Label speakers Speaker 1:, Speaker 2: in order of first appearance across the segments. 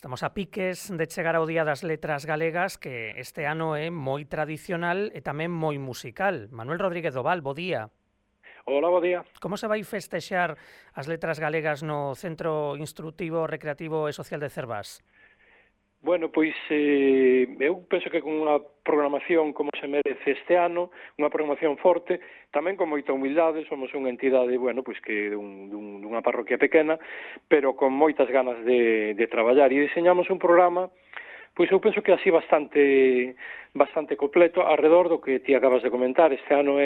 Speaker 1: Estamos a piques de chegar ao Día das Letras Galegas, que este ano é moi tradicional e tamén moi musical. Manuel Rodríguez Doval, bo día.
Speaker 2: Hola, bo día.
Speaker 1: Como se vai festexar as letras galegas no Centro Instructivo, Recreativo e Social de Cervás?
Speaker 2: Bueno, pois eu penso que con unha programación como se merece este ano, unha programación forte, tamén con moita humildade, somos unha entidade, bueno, pois que dunha parroquia pequena, pero con moitas ganas de traballar, e diseñamos un programa, pois eu penso que así bastante completo, arredor do que ti acabas de comentar. Este ano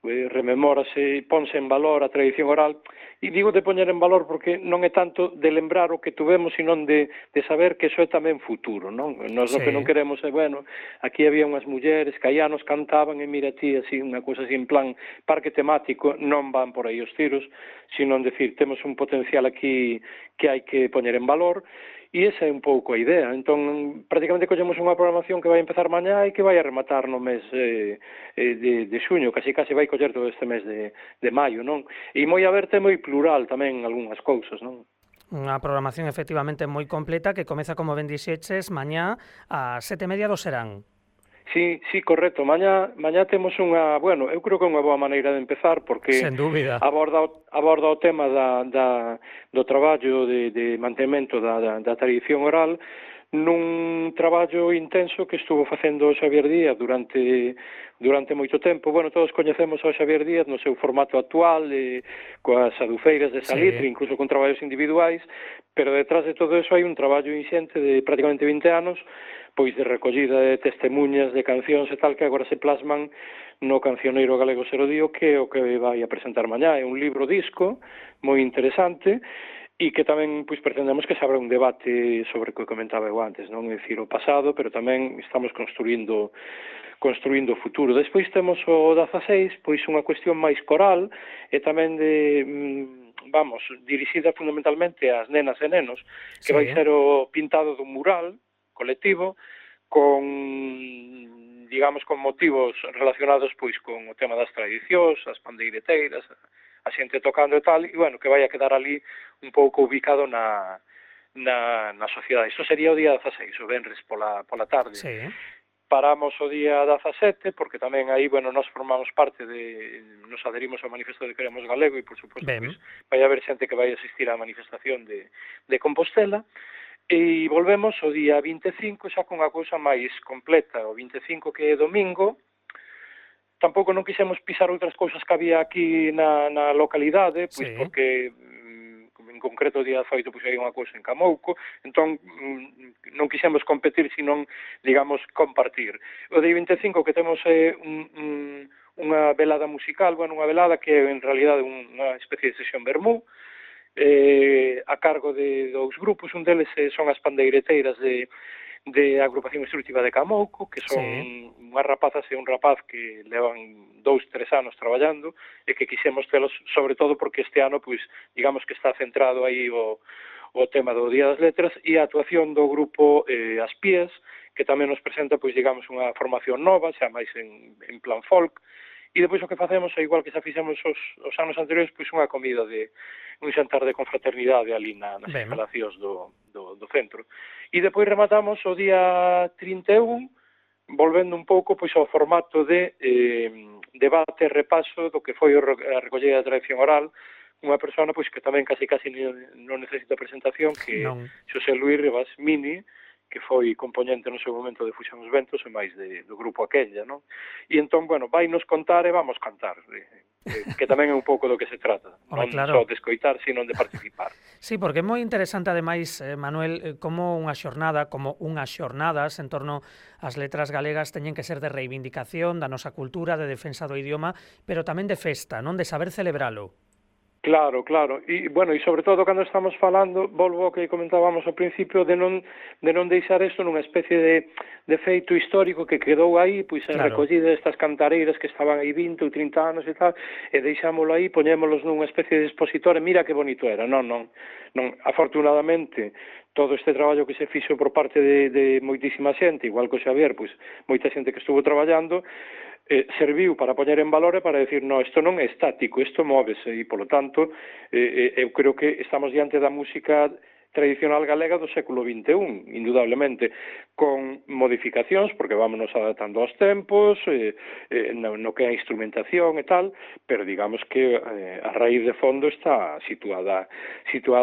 Speaker 2: rememórase, ponse en valor a tradición oral, e digo de poñer en valor porque non é tanto de lembrar o que tuvemos, sino de saber que iso é tamén futuro, non? Nós o que non queremos é, bueno, aquí había unhas mulleres que aí anos cantaban e mira ti, así, unha cousa así en plan parque temático, non van por aí os tiros, sino en decir, temos un potencial aquí que hai que poñer en valor. E esa é un pouco a idea. Entón, prácticamente collemos unha programación que vai empezar mañá e que vai a rematar no mes de xuño, casi vai coller todo este mes de maio, non? E moi aberta e moi plural tamén algunhas cousas, non?
Speaker 1: Unha programación efectivamente moi completa que comeza, como ben dixeches, mañá ás 7:30 do serán.
Speaker 2: Sí, correcto. Mañá temos unha, bueno, eu creo que é unha boa maneira de empezar porque
Speaker 1: sen dúbida
Speaker 2: aborda o tema do traballo de mantemento da tradición oral nun traballo intenso que estuvo facendo o Xavier Díaz durante moito tempo. Bueno, todos coñecemos ao Xavier Díaz no seu formato actual, coas adufeiras de Salitre, incluso con traballos individuais, pero detrás de todo eso hai un traballo inxente de prácticamente 20 anos, pois de recollida de testemunhas, de cancións e tal, que agora se plasman no Cancioneiro Galego Serodío, que é o que vai a presentar mañá. É un libro disco moi interesante e que tamén pois pretendemos que se abra un debate sobre o que comentaba eu antes, non? É dicir, o pasado, pero tamén estamos construindo o futuro. Despois temos o 16, pois unha cuestión máis coral e tamén dirixida fundamentalmente ás nenas e nenos, que vai ser o pintado dun mural colectivo con, digamos, con motivos relacionados pois con o tema das tradicións, as pandeireteiras, a xente tocando e tal, e bueno, que vai a quedar ali un pouco ubicado na sociedade. Isto sería o día 16, o venres pola tarde.
Speaker 1: Sí.
Speaker 2: Paramos o día 17, porque tamén aí, bueno, nós formamos parte nos adherimos ao Manifesto de Queremos Galego e, por suposto, pois, vai haber xente que vai asistir á manifestación de Compostela. E volvemos o día 25 xa con unha cousa máis completa, o 25 que é domingo. Tampouco non quixemos pisar outras cousas que había aquí na localidade, pois porque en concreto o día 18 pois hai unha cousa en Camouco, entón non quixemos competir, senón, digamos, compartir. O día 25 que temos unha velada musical, bueno, unha velada que é en realidade unha especie de sesión vermú, a cargo de dous grupos. Un deles son as pandeireteiras de Agrupación Instructiva de Camouco, que son unhas rapazas e un rapaz que levan 2-3 anos traballando e que quixemos telos, sobre todo porque este ano, pois, digamos que está centrado aí o tema do Día das Letras, e a actuación do grupo As Pías, que tamén nos presenta, pois, digamos, unha formación nova, xa máis en plan folk. E depois o que facemos é igual que xa fixemos os anos anteriores, pois unha comida un xantar de confraternidade ali nas instalacións do centro. E depois rematamos o día 31, volvendo un pouco pois ao formato de debate e repaso do que foi a recollida da tradición oral, unha persona pois que tamén casi non necesita presentación, que é Xosé Luís Rivas Mini, que foi componente no seu momento de Fuxan os Ventos e máis do grupo Aquella, non? E entón, bueno, vai nos contar e vamos cantar, que tamén é un pouco do que se trata, non só de escoitar, sino de participar.
Speaker 1: Sí, porque é moi interesante, ademais, Manuel, como unhas xornadas en torno ás letras galegas teñen que ser de reivindicación da nosa cultura, de defensa do idioma, pero tamén de festa, non? De saber celebralo.
Speaker 2: Claro. E, bueno, e sobre todo cando estamos falando, volvo ao que comentábamos ao principio, de non deixar isto nunha especie de feito histórico que quedou aí, pois a recollida destas cantareiras que estaban aí 20 ou 30 anos e tal, e deixámoslo aí, poñémolos nunha especie de expositor, e mira que bonito era. Non. Afortunadamente, todo este traballo que se fixo por parte de moitísima xente, igual que o Xavier, pois moita xente que estuvo traballando, serviu para poñer en valor e para decir, no, isto non é estático, isto móvese, e, polo tanto, eu creo que estamos diante da música tradicional galega do século XXI, indudablemente, con modificacións, porque vámonos adaptando aos tempos, no que é a instrumentación e tal, pero digamos que a raíz de fondo está situada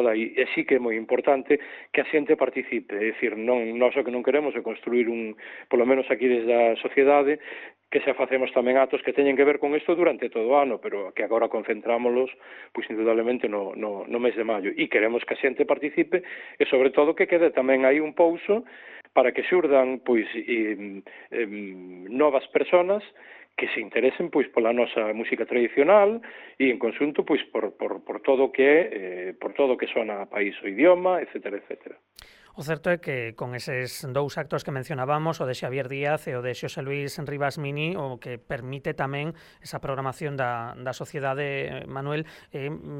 Speaker 2: aí, e sí que é moi importante que a xente participe, é dicir, nós o que non queremos é construir polo menos aquí desde a sociedade, que xa facemos tamén actos que teñen que ver con isto durante todo o ano, pero que agora concentrámolos, pois indudablemente no mes de maio, e queremos que a xente participe e sobre todo que quede tamén aí un pouso para que xurdan pois novas persoas que se interesen pois pola nosa música tradicional e en conxunto pois por todo o que por todo o que sona a país, o idioma, etcétera, etcétera.
Speaker 1: O certo é que con eses dous actos que mencionábamos, o de Xavier Díaz e o de Xosé Luis Rivas Mini, o que permite tamén esa programación da sociedade, Manuel,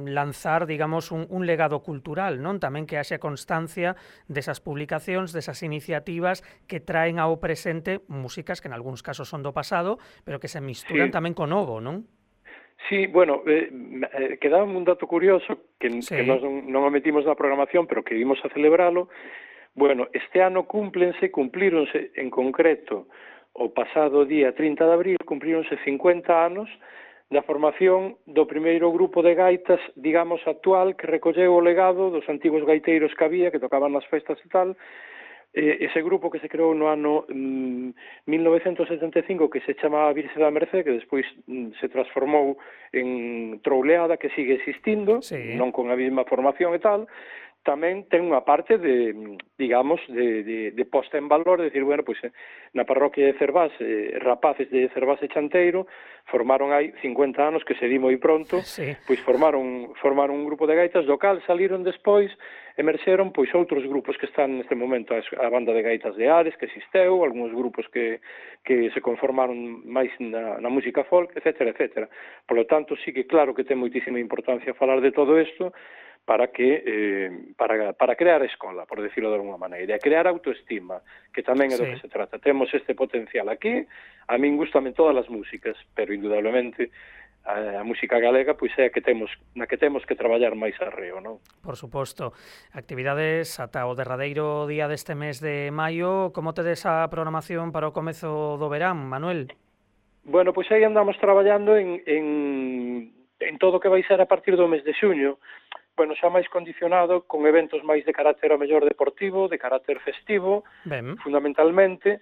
Speaker 1: lanzar, digamos, un legado cultural, non? Tamén que haxe constancia desas publicacións, desas iniciativas que traen ao presente músicas que en algúns casos son do pasado, pero que se misturan tamén co novo, non?
Speaker 2: Sí, bueno, quedaba un dato curioso que nós non o metimos na programación, pero que vimos a celebralo. Bueno, este ano cumplíronse en concreto o pasado día 30 de abril, cumplíronse 50 anos da formación do primeiro grupo de gaitas, digamos, actual, que recolleu o legado dos antigos gaiteiros que había, que tocaban nas festas e tal. Ese grupo que se creou no ano 1975, que se chamaba Virxe da Mercé, que despois se transformou en Trouleada, que sigue existindo, non con a mesma formación e tal, tamén ten unha parte de, digamos, de posta en valor, de decir, bueno, pois na parroquia de Cervás, rapaces de Cervás e Chanteiro, formaron hai 50 anos, que se di moi pronto, pois formaron un grupo de gaitas, do cal saliron despois, emerxeron pois outros grupos que están neste momento, a banda de gaitas de Ares, que existeu, algúns grupos que se conformaron máis na música folk, etcétera, etcétera. Por lo tanto, sí que claro que ten moitísima importancia falar de todo isto, para crear escola, por decirlo de alguna maneira, e crear autoestima, que tamén é do que se trata. Temos este potencial aquí, a min gustan todas as músicas, pero indudablemente a música galega pois é na que temos que traballar máis arreo, non?
Speaker 1: Por suposto. Actividades ata o derradeiro día deste mes de maio. Como tedes a programación para o comezo do verán, Manuel?
Speaker 2: Bueno, pois aí andamos traballando en todo o que vai ser a partir do mes de xuño. Bueno, xa máis condicionado con eventos máis de carácter a mellor deportivo, de carácter festivo, fundamentalmente.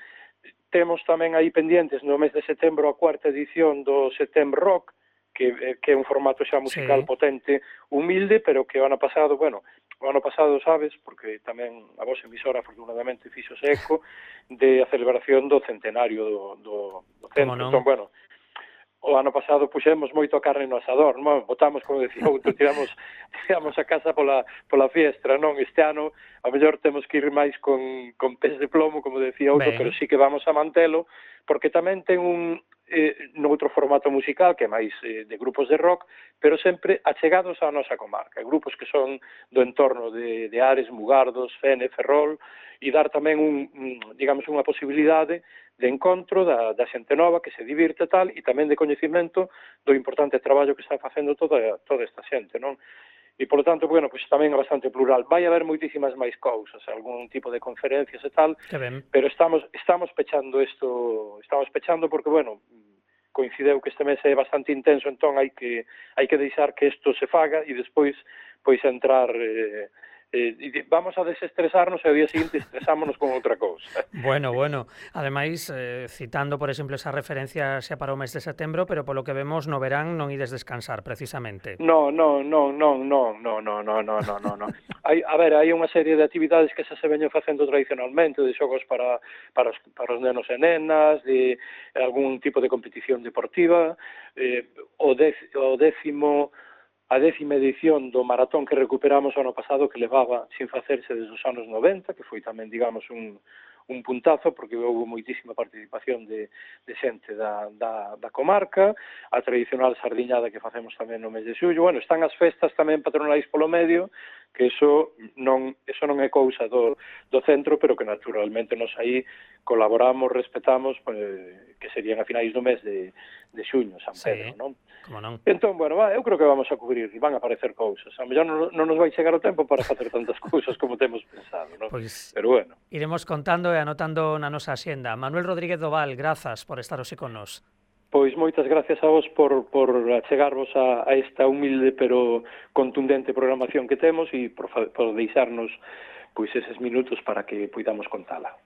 Speaker 2: Temos tamén aí pendientes no mes de setembro a cuarta edición do Setembro Rock, que é un formato xa musical potente, humilde, pero que o ano pasado, sabes, porque tamén a vosa emisora afortunadamente fixose eco de a celebración do centenario do centro. Entón, bueno, o ano pasado puxemos moito a carne no asador, non? Botamos, como decía outro, tiramos a casa pola fiestra, non? Este ano, a mellor temos que ir máis con pés de plomo, como decía outro, pero sí que vamos a mantelo, porque tamén ten noutro formato musical, que é máis de grupos de rock, pero sempre achegados á nosa comarca, grupos que son do entorno de Ares, Mugardos, Fene, Ferrol, e dar tamén digamos, unha posibilidade de encontro da xente nova que se divirte tal, e tamén de coñecimento do importante traballo que está facendo toda esta xente, non? E, por lo tanto, bueno, pois tamén é bastante plural. Vai haber moitísimas máis cousas, algún tipo de conferencias e tal, pero estamos pechando porque, bueno, coincideu que este mes é bastante intenso, entón hai que deixar que isto se faga e despois pois entrar vamos a desestresarnos e ao día seguinte estresámonos con outra cousa.
Speaker 1: Bueno. Ademais, citando, por exemplo, esa referencia xa para o mes de setembro, pero polo que vemos no verán non ides descansar, precisamente.
Speaker 2: No. Hai unha serie de actividades que xa se veñen facendo tradicionalmente, de xogos para os nenos e nenas, de algún tipo de competición deportiva, a 10ª edición do maratón que recuperamos o ano pasado, que levaba sin facerse desde os anos 90, que foi tamén, digamos, un puntazo, porque houve moitísima participación de xente da comarca, a tradicional sardiñada que facemos tamén no mes de xullo. Bueno, están as festas tamén patronais polo medio, que eso non é cousa do centro, pero que naturalmente nos aí colaboramos, respetamos, que serían a finais do mes de de xuño, San Pedro, non?
Speaker 1: Como non.
Speaker 2: Entón, bueno, eu creo que vamos a cubrir e van a aparecer cousas. A mellor non nos vai chegar o tempo para facer tantas cousas como temos pensado, non?
Speaker 1: Pois
Speaker 2: pero bueno.
Speaker 1: Iremos contando e anotando na nosa axenda. Manuel Rodríguez Doval, grazas por estar hoxe con nós.
Speaker 2: Pois moitas gracias a vos por achegarvos a esta humilde pero contundente programación que temos e por deixarnos pois eses minutos para que poidamos contala.